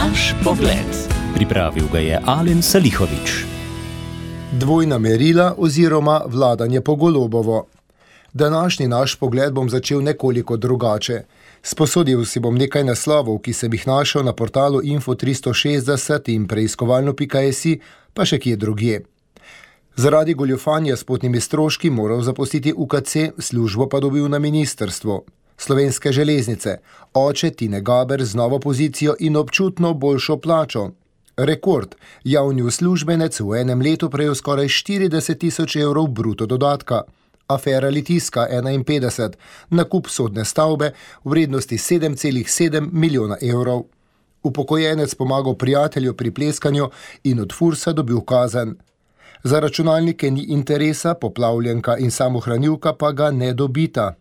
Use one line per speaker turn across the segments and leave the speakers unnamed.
Naš pogled. Pripravil ga je Alen Salihović.
Dvojna merila oziroma vladanje po Golobovo. Današnji naš pogled bom začel nekoliko drugače. Sposodil si bom nekaj naslovov, ki sem jih našel na portalu Info360 in preiskovalno.si, pa še kje drugje. Zaradi goljufanja s potnimi stroški moral zapustiti UKC, službo pa dobil na ministrstvo. Slovenske železnice, oče Tine Gaber z novo pozicijo in občutno boljšo plačo. Rekord, javni uslužbenec v enem letu prejel skoraj 40.000 evrov bruto dodatka. Afera Litijska 51, nakup sodne stavbe v vrednosti 7,7 milijona evrov. Upokojenec pomagal prijatelju pri pleskanju in od Fursa dobil kazen. Za računalnike ni interesa, poplavljenka in samohranilka pa ga ne dobita.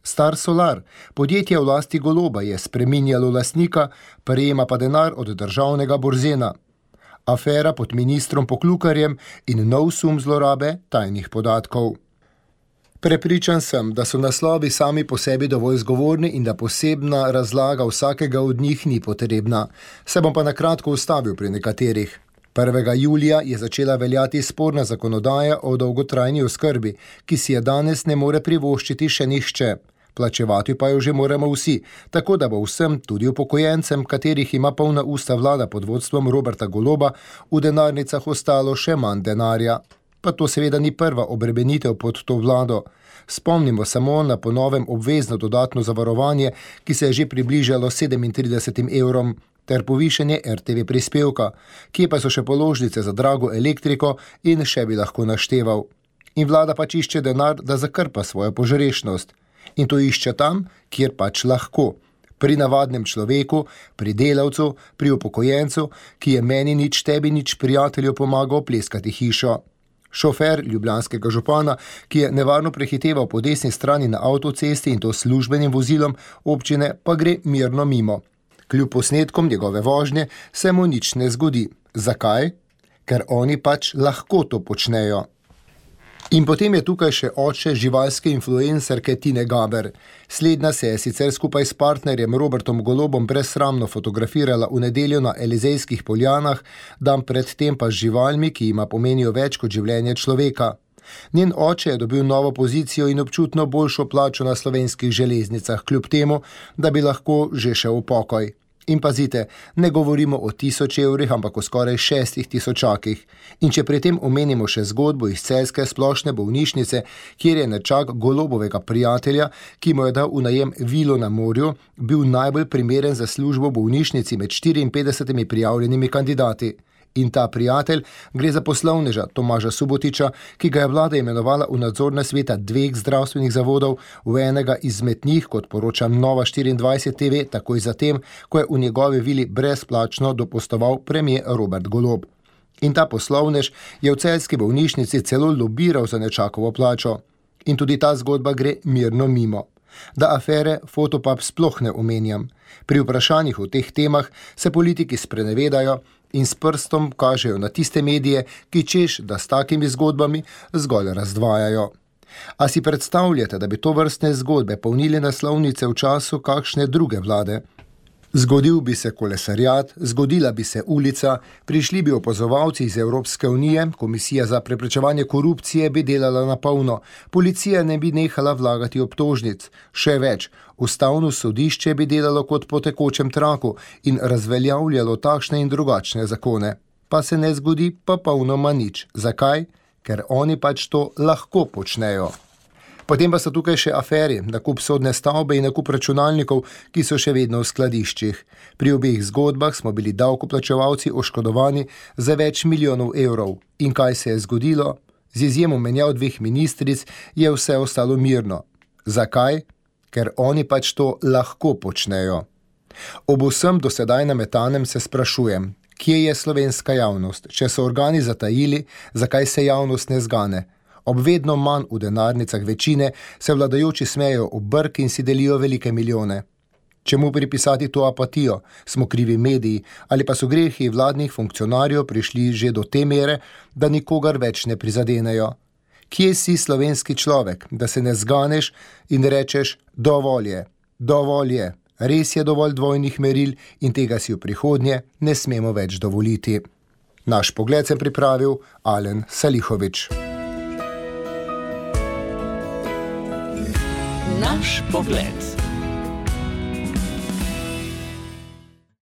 Star Solar, podjetje v lasti Goloba, je spreminjalo lastnika, prejema pa denar od državnega Borzena. Afera pod ministrom Poklukarjem in nov sum zlorabe tajnih podatkov. Prepričan sem, da so naslovi sami po sebi dovolj zgovorni in da posebna razlaga vsakega od njih ni potrebna. Se bom pa na kratko ustavil pri nekaterih. 1. julija je začela veljati sporna zakonodaja o dolgotrajni oskrbi, ki si je danes ne more privoščiti še nihče. Plačevati pa jo že moramo vsi, tako da bo vsem, tudi upokojencem, katerih ima polna usta vlada pod vodstvom Roberta Goloba, v denarnicah ostalo še manj denarja. Pa to seveda ni prva obremenitev pod to vlado. Spomnimo samo na po novem obvezno dodatno zavarovanje, ki se je že približalo 37 evrom, ter povišanje RTV prispevka, kje pa so še položnice za drago elektriko in še bi lahko našteval. In vlada pač išče denar, da zakrpa svojo požrešnost. In to išče tam, kjer pač lahko. Pri navadnem človeku, pri delavcu, pri upokojencu, ki je meni nič, tebi nič, prijatelju pomagal pleskati hišo. Šofer ljubljanskega župana, ki je nevarno prehiteval po desni strani na avtocesti in to službenim vozilom občine, pa gre mirno mimo. Kljub posnetkom njegove vožnje se mu nič ne zgodi. Zakaj? Ker oni pač lahko to počnejo. In potem je tukaj še oče živalske influencerke Tine Gaber. Slednja se je sicer skupaj s partnerjem Robertom Golobom brezsramno fotografirala v nedeljo na Elizejskih poljanah, dan predtem pa z živalmi, ki jima pomenijo več kot življenje človeka. Njen oče je dobil novo pozicijo in občutno boljšo plačo na slovenskih železnicah, kljub temu, da bi lahko že šel v pokoj. In pazite, ne govorimo o 1000 evrih, ampak o skoraj 6.000. In če pri tem omenimo še zgodbo iz celjske splošne bolnišnice, kjer je nečak Golobovega prijatelja, ki mu je dal v najem vilo na morju, bil najbolj primeren za službo v bolnišnici med 54 prijavljenimi kandidati. In ta prijatelj gre za poslovneža Tomaža Subotiča, ki ga je vlada imenovala v nadzorne sveta 2 zdravstvenih zavodov, v enega izmed njih, kot poroča Nova 24 TV, takoj zatem, ko je v njegovi vili brezplačno dopustoval premier Robert Golob. In ta poslovnež je v celjski bolnišnici celo lobiral za nečakovo plačo. In tudi ta zgodba gre mirno mimo. Da afere Fotopub sploh ne omenjam. Pri vprašanjih o teh temah se politiki sprenevedajo in s prstom kažejo na tiste medije, ki češ, da s takimi zgodbami zgolj razdvajajo. A si predstavljate, da bi to vrstne zgodbe polnili naslovnice v času kakšne druge vlade? Zgodil bi se kolesarjat, zgodila bi se ulica, prišli bi opazovalci iz Evropske unije, Komisija za preprečevanje korupcije bi delala na polno, policija ne bi nehala vlagati obtožnic, še več, Ustavno sodišče bi delalo kot po tekočem traku in razveljavljalo takšne in drugačne zakone. Pa se ne zgodi pa polnoma nič. Zakaj? Ker oni pač to lahko počnejo. Potem pa so tukaj še aferi, nakup sodne stavbe in nakup računalnikov, ki so še vedno v skladiščih. Pri obeh zgodbah smo bili davkoplačevalci oškodovani za več milijonov evrov. In kaj se je zgodilo? Z izjemo menjav 2 ministric je vse ostalo mirno. Zakaj? Ker oni pač to lahko počnejo. Ob vsem dosedaj nametanem se sprašujem, kje je slovenska javnost? Če so organi zatajili, zakaj se javnost ne zgane? Ob vedno manj v denarnicah večine se vladajoči smejo ob brk in si delijo velike milijone. Čemu pripisati to apatijo? Smo krivi mediji ali pa so grehi vladnih funkcionarjev prišli že do te mere, da nikogar več ne prizadenejo? Kje si slovenski človek, da se ne zganeš in rečeš dovolj je, Res je dovolj dvojnih meril in tega si v prihodnje ne smemo več dovoliti. Naš pogled sem pripravil Alen Salihović.
Naš pogled.